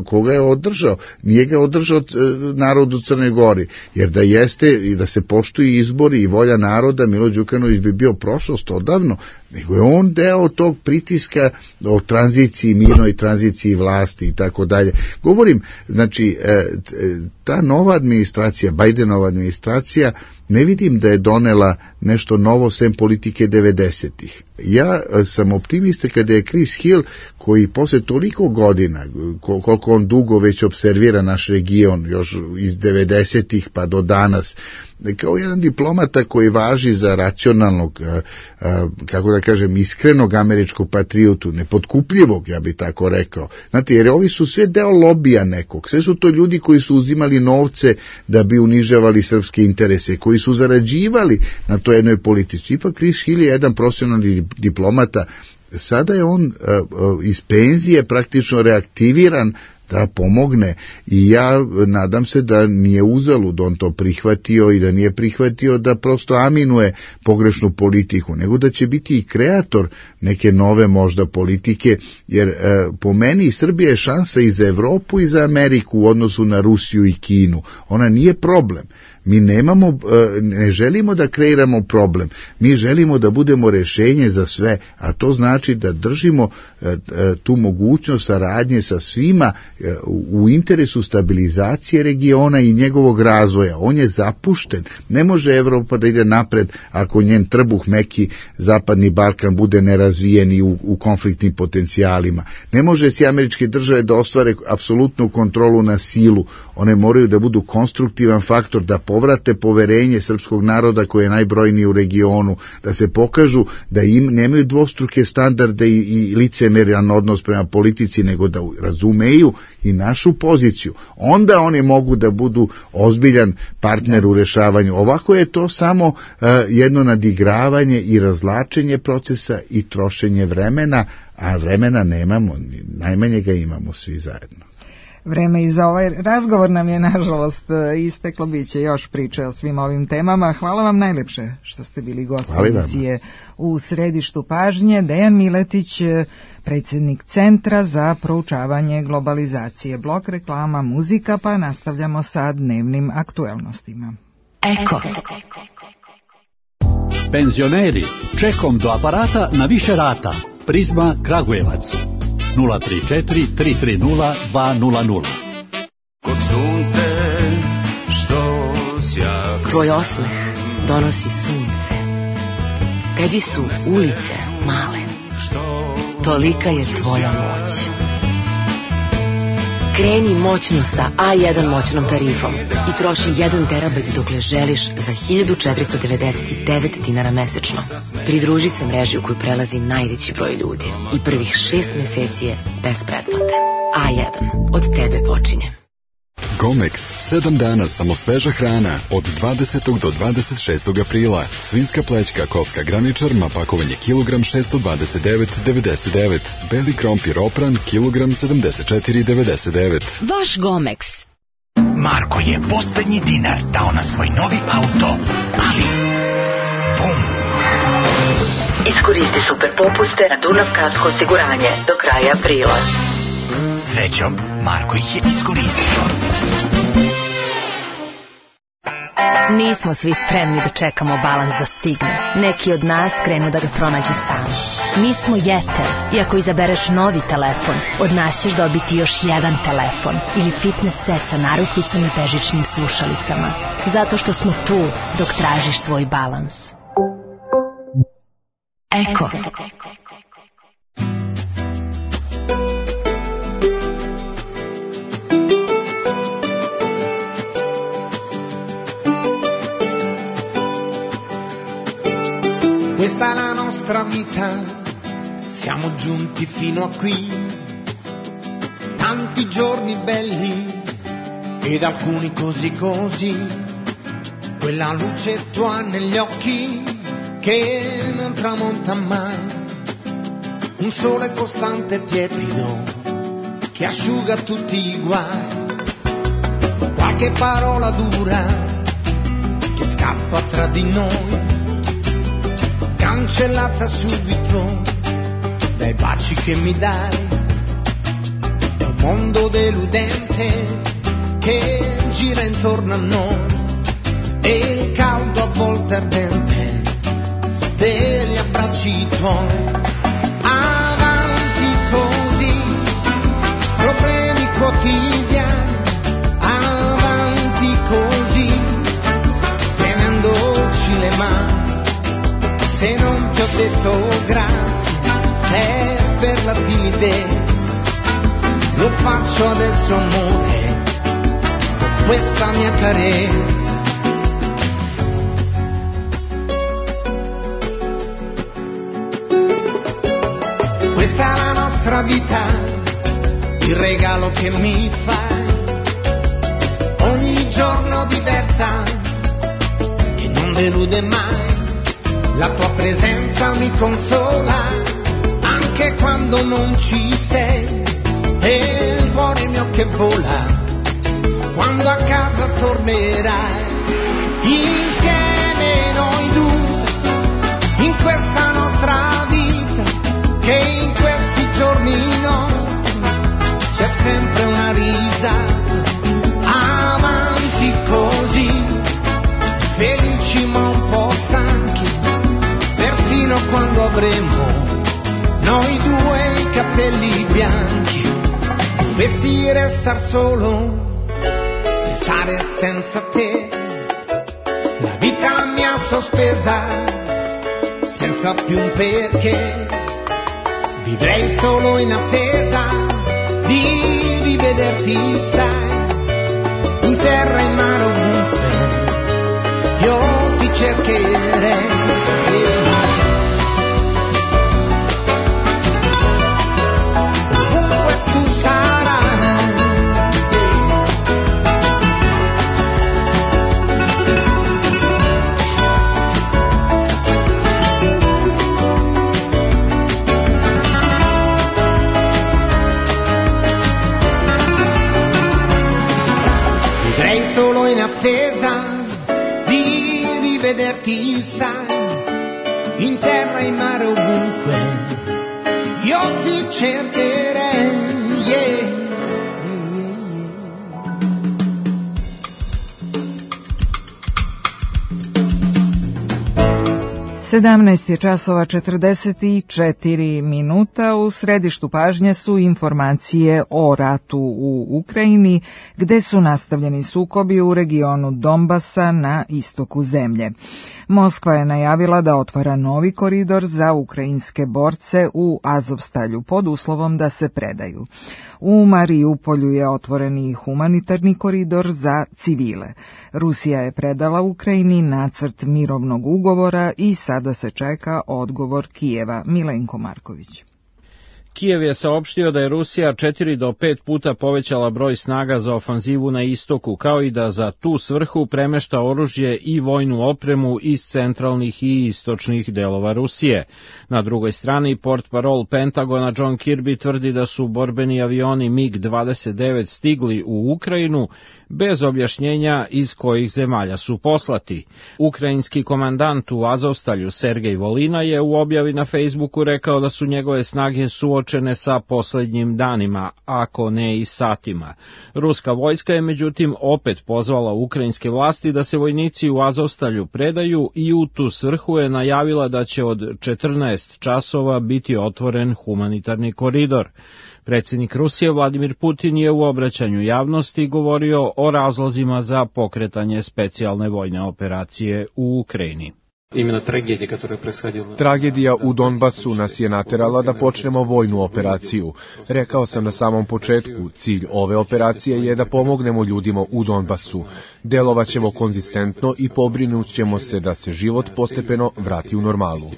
S2: Koga je održao? Nije ga održao narod u Crnoj Gori, jer da jeste i da se poštuju izbori i volja naroda, Milo Đukanović bi bio prošlost odavno, nego je on deo tog pritiska o tranziciji, mirnoj tranziciji vlasti i tako dalje. Govorim, znači, ta nova administracija, Bidenova administracija, ne vidim da je donela nešto novo sem politike 90-ih. Ja sam optimista kada je Chris Hill, koji posle toliko godina, koliko on dugo već observira naš region, još iz 90-ih pa do danas, kao jedan diplomata koji važi za racionalnog, kako da kažem, iskrenog američkog patriotu, nepotkupljivog, ja bih tako rekao. Znate, jer ovi su sve deo lobija nekog, sve su to ljudi koji su uzimali novce da bi unižavali srpske interese, koji su zarađivali na toj jednoj politici. Ipak Chris Hill je jedan profesionalni diplomata, sada je on iz penzije praktično reaktiviran da pomogne i ja nadam se da nije uzalud on to prihvatio i da nije prihvatio da prosto aminuje pogrešnu politiku, nego da će biti i kreator neke nove možda politike, jer po meni Srbija je šansa i za Evropu i za Ameriku u odnosu na Rusiju i Kinu. Ona nije problem. Mi ne želimo da kreiramo problem, mi želimo da budemo rešenje za sve, a to znači da držimo tu mogućnost saradnje sa svima u interesu stabilizacije regiona i njegovog razvoja. On je zapušten, ne može Evropa da ide napred ako njen trbuh meki Zapadni Balkan bude nerazvijen i u konfliktnim potencijalima. Ne može si američke države da ostvare apsolutnu kontrolu na silu, one moraju da budu konstruktivan faktor, da povrate poverenje srpskog naroda koji je najbrojniji u regionu, da se pokažu da nemaju dvostruke standarde i licemeran odnos prema politici, nego da razumeju i našu poziciju. Onda oni mogu da budu ozbiljan partner u rešavanju. Ovako je to samo jedno nadigravanje i razlačenje procesa i trošenje vremena, a vremena nemamo, najmanje ga imamo svi zajedno.
S4: Vreme i za ovaj razgovor nam je nažalost isteklo, bit će još priče o svim ovim temama. Hvala vam najlepše što ste bili gost emisije U središtu pažnje. Dejan Miletić, predsjednik Centra za proučavanje globalizacije. Blok reklama, muzika, pa nastavljamo sa dnevnim aktuelnostima.
S3: Eko.
S5: Penzioneri, čekom do aparata na više rata. Prizma Kragujevac 034 330 200.
S6: Ko sunce što sja.
S7: Tvoj osmeh donosi sunce. Tebi su ulice male. Tolika je tvoja moć. Kreni moćno sa A1 moćnom tarifom i troši 1 terabajt dokle želiš za 1499 dinara mesečno. Pridruži se mreži u koju prelazi najveći broj ljudi i prvih 6 meseci je bez pretplate. A1. Od tebe počinje.
S8: Gomex, 7 dana samo sveža hrana, od 20. do 26. aprila. Svinjska plećka, kocka graničar, pakovanje kilogram 629,99. Beli krompir opran, kilogram 74,99.
S7: Vaš Gomex.
S9: Marko je poslednji dinar dao na svoj novi auto, ali... Bum!
S7: Iskoristi super popuste na Dunav kasko osiguranje do kraja aprila.
S9: Srećom, Marko ih je iskoristio.
S10: Nismo svi spremni da čekamo balans da stigne. Neki od nas krenu da ga pronađu sami. Mi smo Jeter i ako izabereš novi telefon, od nas ćeš dobiti još jedan telefon ili fitness set sa narukvicom i bežičnim slušalicama. Zato što smo tu dok tražiš svoj balans. Eko.
S11: Questa è la nostra vita, siamo giunti fino a qui, tanti giorni belli ed alcuni così così, quella luce tua negli occhi che non tramonta mai, un sole costante e tiepido che asciuga tutti i guai, qualche parola dura che scappa tra di noi, cancellata subito dai baci che mi dai. È un mondo deludente che gira intorno a noi e il caldo a volte ardente degli abbracci tuoi. Avanti così, problemi quotidiani, avanti così, tenendoci le mani. Se non ti ho detto grazie è per la timidezza, lo faccio adesso amore, con questa mia carezza. Questa è la nostra vita, il regalo che mi fai, ogni giorno diversa che non delude mai. La tua presenza mi consola, anche quando non ci sei, e il cuore mio che vola, quando a casa tornerai. Insieme noi due, in questa nostra vita, che in questi giorni nostri, c'è sempre una risata, avanti così, felici ma un po' stanchi, persino quando avremo noi due i capelli bianchi. Dovessi restar solo, restare senza te, la vita mi ha sospesa, senza più un perché, vivrei solo in attesa di rivederti, sai, in terra e in mare ovunque, io ti cercherei. chissà, in terra, in mare, ovunque, io ti cercherei, yeah.
S4: 17 je časova 44 minuta. U središtu pažnje su informacije o ratu u Ukrajini, gde su nastavljeni sukobi u regionu Donbasa na istoku zemlje. Moskva je najavila da otvara novi koridor za ukrajinske borce u Azovstalju pod uslovom da se predaju. U Mariupolju je otvoren i humanitarni koridor za civile. Rusija je predala Ukrajini nacrt mirovnog ugovora i sada se čeka odgovor Kijeva. Milenko Marković.
S12: Kijev je saopštio da je Rusija 4 do 5 puta povećala broj snaga za ofanzivu na istoku, kao i da za tu svrhu premešta oružje i vojnu opremu iz centralnih i istočnih delova Rusije. Na drugoj strani, portparol Pentagona John Kirby tvrdi da su borbeni avioni MiG-29 stigli u Ukrajinu bez objašnjenja iz kojih zemalja su poslati. Ukrajinski komandant u Azovstalju Sergej Volina je u objavi na Facebooku rekao da su njegove snage suočene sa poslednjim danima, ako ne i satima. Ruska vojska je međutim opet pozvala ukrajinske vlasti da se vojnici u Azovstalju predaju i u tu svrhu je najavila da će od 14 časova biti otvoren humanitarni koridor. Predsjednik Rusije Vladimir Putin je u obraćanju javnosti govorio o razlozima za pokretanje specijalne vojne operacije u Ukrajini.
S13: Tragedija u Donbasu nas je naterala da počnemo vojnu operaciju. Rekao sam na samom početku, cilj ove operacije je da pomognemo ljudima u Donbasu. Delovaćemo konzistentno i pobrinut ćemo se da se život postepeno vrati u normalu.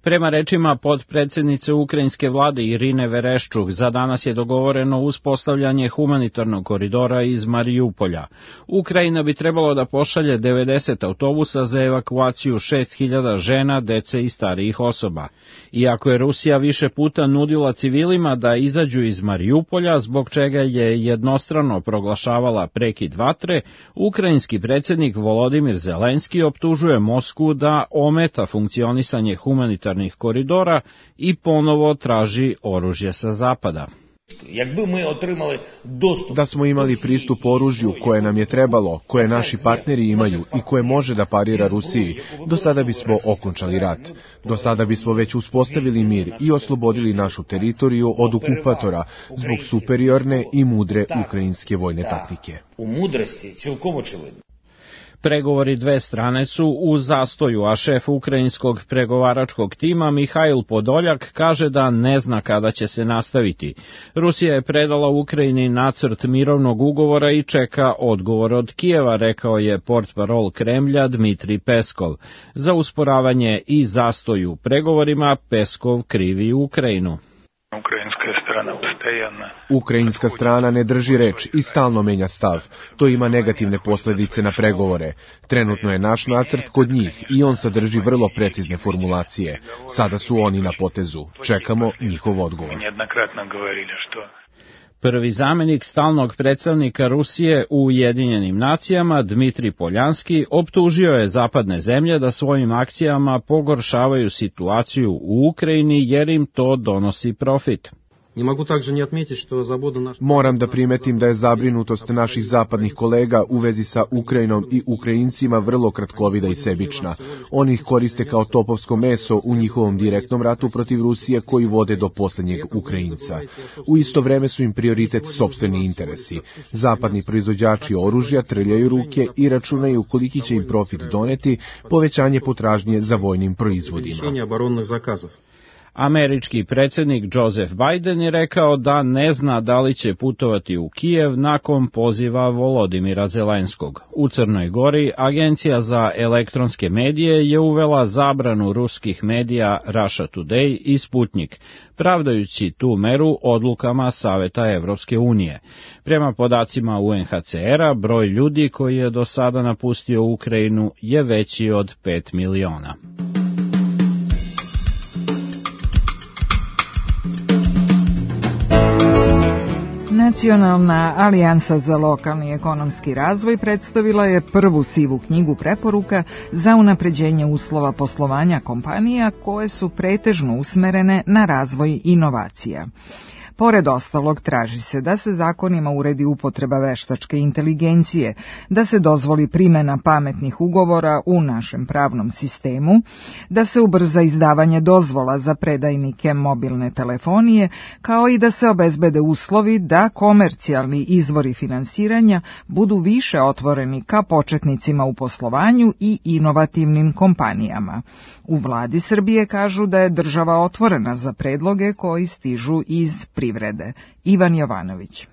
S12: Prema rečima potpredsjednice ukrajinske vlade Irine Vereščuk, za danas je dogovoreno uspostavljanje humanitarnog koridora iz Mariupolja. Ukrajina bi trebalo da pošalje 90 autobusa za evakuaciju 6000 žena, dece i starijih osoba. Iako je Rusija više puta nudila civilima da izađu iz Mariupolja, zbog čega je jednostrano proglašavala prekid vatre, ukrajinski predsjednik Volodimir Zelenski optužuje Moskvu da ometa funkcionisanje humanitarnog koridora i ponovo traži oružje sa zapada.
S13: Da smo imali pristup oružju koje nam je trebalo, koje naši partneri imaju i koje može da parira Rusiji, do sada bismo okončali rat. Do sada bismo već uspostavili mir i oslobodili našu teritoriju od okupatora zbog superiorne i mudre ukrajinske vojne taktike.
S12: Pregovori dve strane su u zastoju, a šef ukrajinskog pregovaračkog tima Mihajl Podoljak kaže da ne zna kada će se nastaviti. Rusija je predala Ukrajini nacrt mirovnog ugovora i čeka odgovor od Kijeva, rekao je portparol Kremlja Dmitrij Peskov. Za usporavanje i zastoj u pregovorima Peskov krivi Ukrajinu.
S13: Ukrajinska strana ne drži reč i stalno menja stav. To ima negativne posljedice na pregovore. Trenutno je naš nacrt kod njih i on sadrži vrlo precizne formulacije. Sada su oni na potezu. Čekamo njihov odgovor.
S12: Prvi zamjenik stalnog predstavnika Rusije u Ujedinjenim nacijama, Dmitrij Poljanski, optužio je zapadne zemlje da svojim akcijama pogoršavaju situaciju u Ukrajini jer im to donosi profit.
S13: Moram da primetim da je zabrinutost naših zapadnih kolega u vezi sa Ukrajinom i Ukrajincima vrlo kratkovida i sebična. Oni ih koriste kao topovsko meso u njihovom direktnom ratu protiv Rusije koji vode do posljednjeg Ukrajinca. U isto vreme su im prioritet sopstveni interesi. Zapadni proizvođači oružja trljaju ruke i računaju koliki će im profit doneti povećanje potražnje za vojnim proizvodima.
S12: Američki predsjednik Joseph Biden je rekao da ne zna da li će putovati u Kijev nakon poziva Volodimira Zelenskog. U Crnoj Gori Agencija za elektronske medije je uvela zabranu ruskih medija Russia Today i Sputnik, pravdajući tu meru odlukama Saveta Evropske unije. Prema podacima UNHCR-a, broj ljudi koji je do sada napustio Ukrajinu je veći od 5 miliona.
S4: Nacionalna alijansa za lokalni ekonomski razvoj predstavila je prvu sivu knjigu preporuka za unapređenje uslova poslovanja kompanija koje su pretežno usmerene na razvoj inovacija. Pored ostalog, traži se da se zakonima uredi upotreba veštačke inteligencije, da se dozvoli primjena pametnih ugovora u našem pravnom sistemu, da se ubrza izdavanje dozvola za predajnike mobilne telefonije, kao i da se obezbede uslovi da komercijalni izvori finansiranja budu više otvoreni ka početnicima u poslovanju i inovativnim kompanijama. U vladi Srbije kažu da je država otvorena za predloge koji stižu iz privrede. Ivan Jovanović.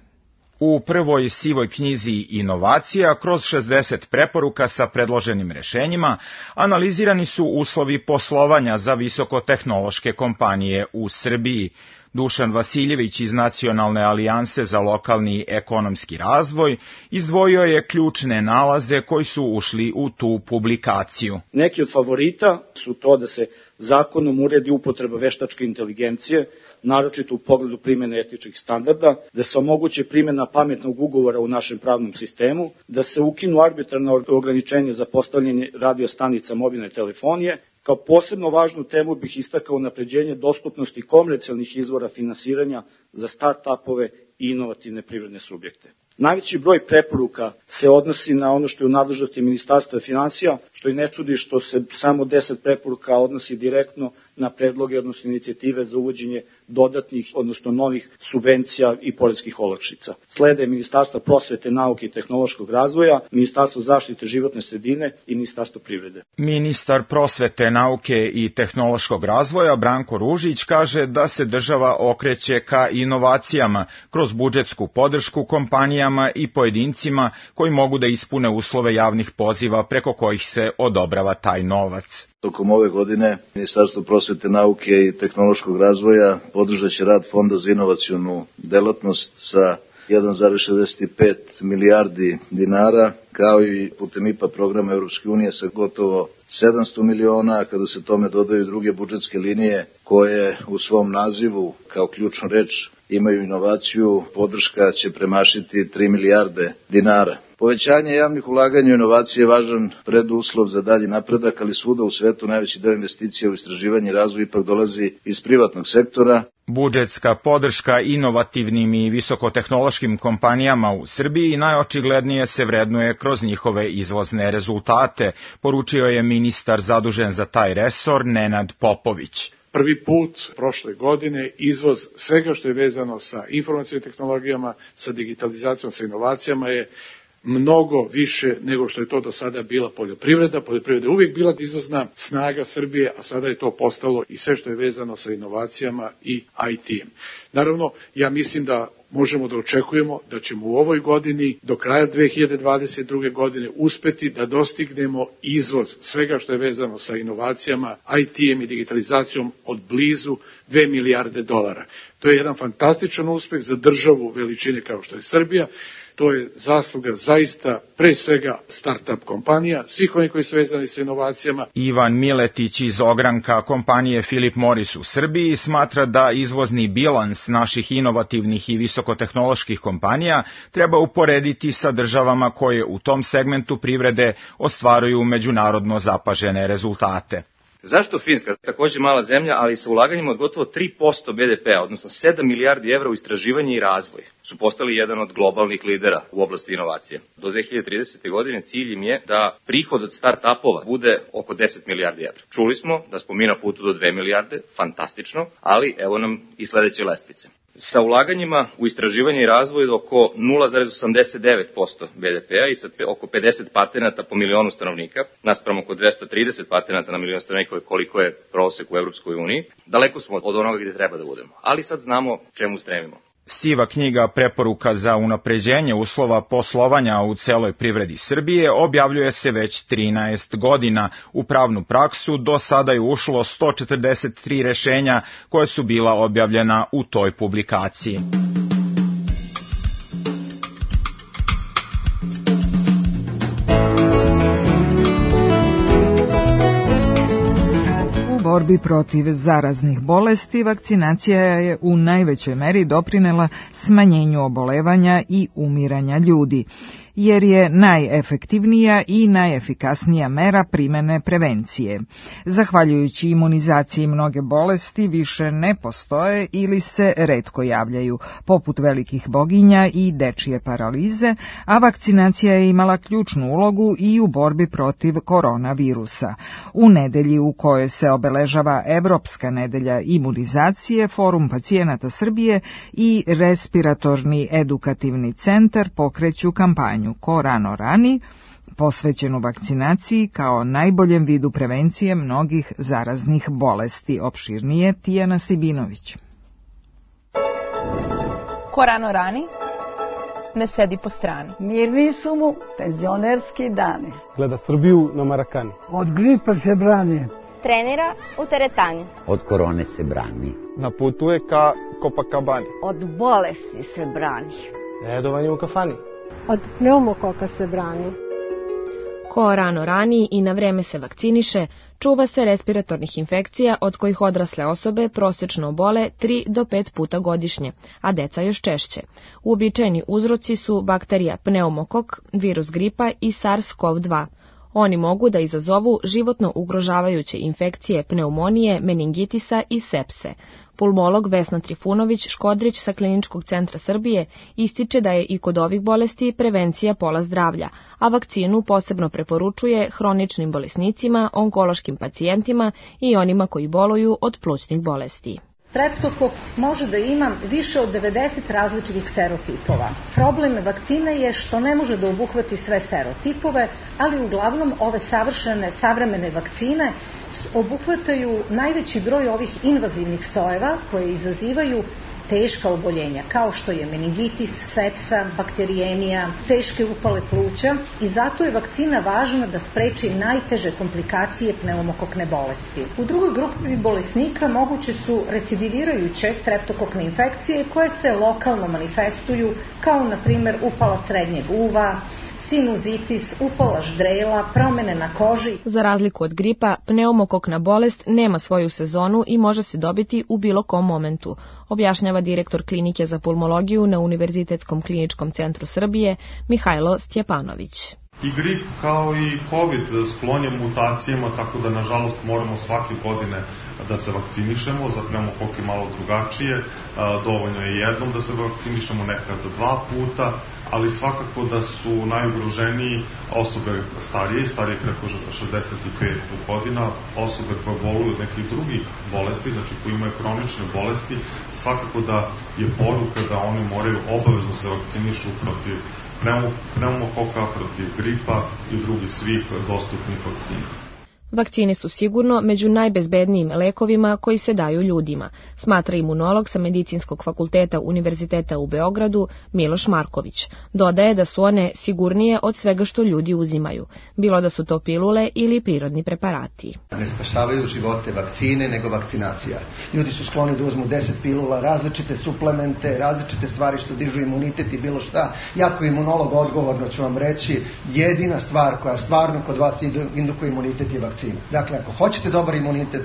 S14: U prvoj sivoj knjizi inovacija, kroz 60 preporuka sa predloženim rešenjima, analizirani su uslovi poslovanja za visokotehnološke kompanije u Srbiji. Dušan Vasiljević iz Nacionalne alijanse za lokalni ekonomski razvoj izdvojio je ključne nalaze koji su ušli u tu publikaciju.
S15: Neki od favorita su to da se zakonom uredi upotreba veštačke inteligencije, naročito u pogledu primjene etičkih standarda, da se omogući primjena pametnog ugovora u našem pravnom sistemu, da se ukinu arbitrarna ograničenja za postavljanje radiostanica mobilne telefonije. Kao posebno važnu temu bih istakao unapređenje dostupnosti komercijalnih izvora finansiranja za start-upove i inovativne privredne subjekte. Najveći broj preporuka se odnosi na ono što je u nadležnosti Ministarstva finansija, što i ne čudi što se samo 10 preporuka odnosi direktno na predloge, odnosno inicijative za uvođenje dodatnih, odnosno novih subvencija i poreskih olakšica. Slede Ministarstva prosvete, nauke i tehnološkog razvoja, Ministarstvo zaštite životne sredine i Ministarstvo privrede.
S14: Ministar prosvete, nauke i tehnološkog razvoja Branko Ružić kaže da se država okreće ka inovacijama kroz budžetsku podršku kompanijama i pojedincima koji mogu da ispune uslove javnih poziva preko kojih se odobrava taj novac.
S16: Tokom ove godine Ministarstvo prosvete, nauke i tehnološkog razvoja podržat će rad Fonda za inovacionu delatnost sa 1,65 milijardi dinara, kao i putem IPA programa Europske unije sa gotovo 700 miliona, a kada se tome dodaju druge budžetske linije koje u svom nazivu kao ključnu reč imaju inovaciju, podrška će premašiti 3 milijarde dinara. Povećanje javnih ulaganja u inovacije je važan preduslov za dalji napredak, ali svuda u svetu najveći deo investicija u istraživanje i razvoj ipak dolazi iz privatnog sektora.
S14: Budžetska podrška inovativnim i visokotehnološkim kompanijama u Srbiji najočiglednije se vrednuje kroz njihove izvozne rezultate, poručio je ministar zadužen za taj resor Nenad Popović.
S17: Prvi put prošle godine izvoz svega što je vezano sa informacijnim tehnologijama, sa digitalizacijom, sa inovacijama je mnogo više nego što je to do sada bila poljoprivreda. Poljoprivreda je uvijek bila izvozna snaga Srbije, a sada je to postalo i sve što je vezano sa inovacijama i IT-em. Naravno, ja mislim da možemo da očekujemo da ćemo u ovoj godini do kraja 2022. godine uspeti da dostignemo izvoz svega što je vezano sa inovacijama, IT-em i digitalizacijom od blizu 2 milijarde dolara. To je jedan fantastičan uspeh za državu veličine kao što je Srbija. To je zasluga zaista pre svega start-up kompanija, svih onih koji su vezani sa inovacijama.
S14: Ivan Miletić iz ogranka kompanije Philip Morris u Srbiji smatra da izvozni bilans naših inovativnih i visokotehnoloških kompanija treba uporediti sa državama koje u tom segmentu privrede ostvaruju međunarodno zapažene rezultate.
S18: Zašto Finska, također mala zemlja, ali sa ulaganjima od gotovo 3% BDP-a, odnosno 7 milijardi evra u istraživanje i razvoj, su postali jedan od globalnih lidera u oblasti inovacija. Do 2030. godine cilj im je da prihod od start-upova bude oko 10 milijardi evra. Čuli smo da smo mi na putu do 2 milijarde, fantastično, ali evo nam i sledeće lestvice. Sa ulaganjima u istraživanje i razvoj oko 0,89% BDP-a i sa oko 50 patenata po milionu stanovnika, naspram oko 230 patenata na milion stanovnika koliko je prosek u Evropskoj uniji, daleko smo od onoga gdje treba da budemo. Ali sad znamo čemu stremimo.
S14: Siva knjiga preporuka za unapređenje uslova poslovanja u celoj privredi Srbije objavljuje se već 13 godina. U pravnu praksu do sada je ušlo 143 rešenja koje su bila objavljena u toj publikaciji.
S4: borbi protiv zaraznih bolesti vakcinacija je u najvećoj meri doprinela smanjenju obolevanja i umiranja ljudi, jer je najefektivnija i najefikasnija mera primene prevencije. Zahvaljujući imunizaciji mnoge bolesti više ne postoje ili se retko javljaju, poput velikih boginja i dečije paralize, a vakcinacija je imala ključnu ulogu i u borbi protiv koronavirusa. U nedelji u kojoj se obeležava Evropska nedelja imunizacije, Forum pacijenata Srbije i Respiratorni edukativni centar pokreću kampanju Ko rano rani, posvećenu vakcinaciji kao najboljem vidu prevencije mnogih zaraznih bolesti. Opširnije Tijana Sibinović.
S19: Ko rano rani, ne sedi po strani.
S20: Mirni su mu penzionerski dani.
S21: Gleda Srbiju na Marakani.
S22: Od gripa se brani.
S23: Trenira u teretani.
S24: Od korone se brani.
S21: Na putu je ka Copacabani.
S23: Od bolesti se brani.
S21: Redovanje u kafani.
S25: Od pneumokoka se brani.
S10: Ko rano rani i na vreme se vakciniše, čuva se respiratornih infekcija od kojih odrasle osobe prosečno obole 3 do 5 puta godišnje, a deca još češće. Uobičajeni uzroci su bakterija pneumokok, virus gripa i SARS-CoV-2. Oni mogu da izazovu životno ugrožavajuće infekcije pneumonije, meningitisa i sepse. Pulmolog Vesna Trifunović-Škodrić sa Kliničkog centra Srbije ističe da je i kod ovih bolesti prevencija pola zdravlja, a vakcinu posebno preporučuje hroničnim bolesnicima, onkološkim pacijentima i onima koji boluju od plućnih bolesti.
S26: Streptokok može da ima više od 90 različitih serotipova. Problem vakcine je što ne može da obuhvati sve serotipove, ali uglavnom ove savremene vakcine obuhvataju najveći broj ovih invazivnih sojeva koje izazivaju teška oboljenja, kao što je meningitis, sepsa, bakterijemija, teške upale pluća i zato je vakcina važna da spreči najteže komplikacije pneumokokne bolesti. U drugoj grupi bolesnika moguće su recidivirajuće streptokokne infekcije koje se lokalno manifestuju, kao na primjer upala srednjeg uva, sinuzitis, upala ždrela, promene na koži.
S10: Za razliku od gripa, pneumokokna bolest nema svoju sezonu i može se dobiti u bilo kom momentu, objašnjava direktor Klinike za pulmologiju na Univerzitetskom kliničkom centru Srbije Mihajlo Stjepanović.
S27: I grip kao i COVID sklon je mutacijama, tako da nažalost moramo svake godine da se vakcinišemo. Za pneumokok je malo drugačije, dovoljno je jednom da se vakcinišemo, nekad 2 puta, ali svakako da su najugroženiji osobe starije preko 65 godina, osobe koje boluju od nekih drugih bolesti, znači koji imaju hronične bolesti, svakako da je poruka da oni moraju obavezno se vakcinišu protiv pneumokoka, protiv gripa i drugih svih dostupnih vakcina.
S10: Vakcine su sigurno među najbezbednijim lekovima koji se daju ljudima, smatra imunolog sa Medicinskog fakulteta Univerziteta u Beogradu Miloš Marković. Dodaje da su one sigurnije od svega što ljudi uzimaju, bilo da su to pilule ili prirodni preparati.
S28: Ne spašavaju živote vakcine, nego vakcinacija. Ljudi su skloni da uzmu 10 pilula, različite suplemente, različite stvari što dižu imunitet i bilo šta. Ja kao imunolog odgovorno ću vam reći, jedina stvar koja stvarno kod vas indukuje imunitet je vakcina. Dakle, ako hoćete dobar imunitet,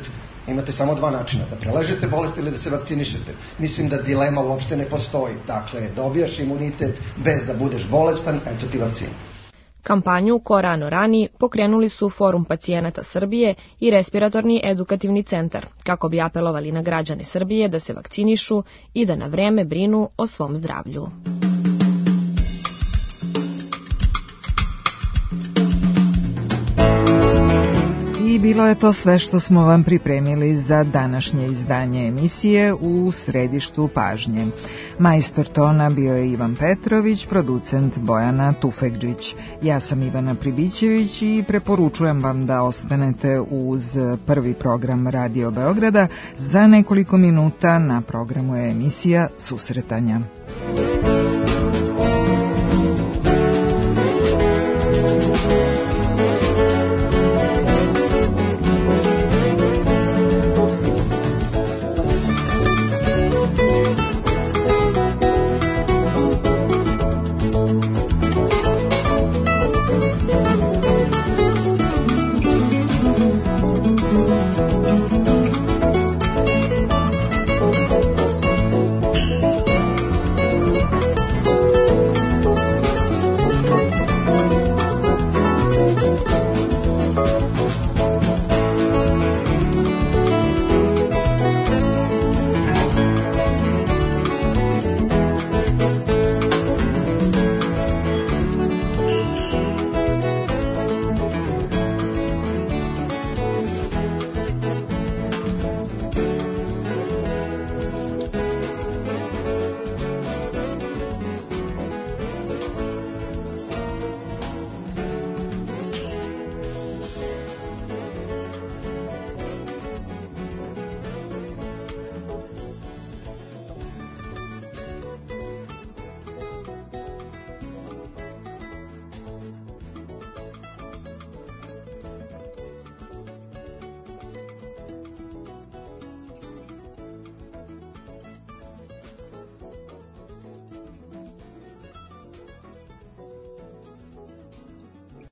S28: imate samo 2 načina, da preležete bolest ili da se vakcinišete. Mislim da dilema uopšte ne postoji. Dakle, dobijaš imunitet bez da budeš bolestan, eto ti vakcina.
S10: Kampanju Ko rano rani pokrenuli su Forum pacijenata Srbije i Respiratorni edukativni centar, kako bi apelovali na građane Srbije da se vakcinišu i da na vreme brinu o svom zdravlju.
S4: I bilo je to sve što smo vam pripremili za današnje izdanje emisije U središtu pažnje. Majstor tona bio je Ivan Petrović, producent Bojana Tufekđić. Ja sam Ivana Pribićević i preporučujem vam da ostanete uz prvi program Radio Beograda. Za nekoliko minuta na programu je emisija Susretanja.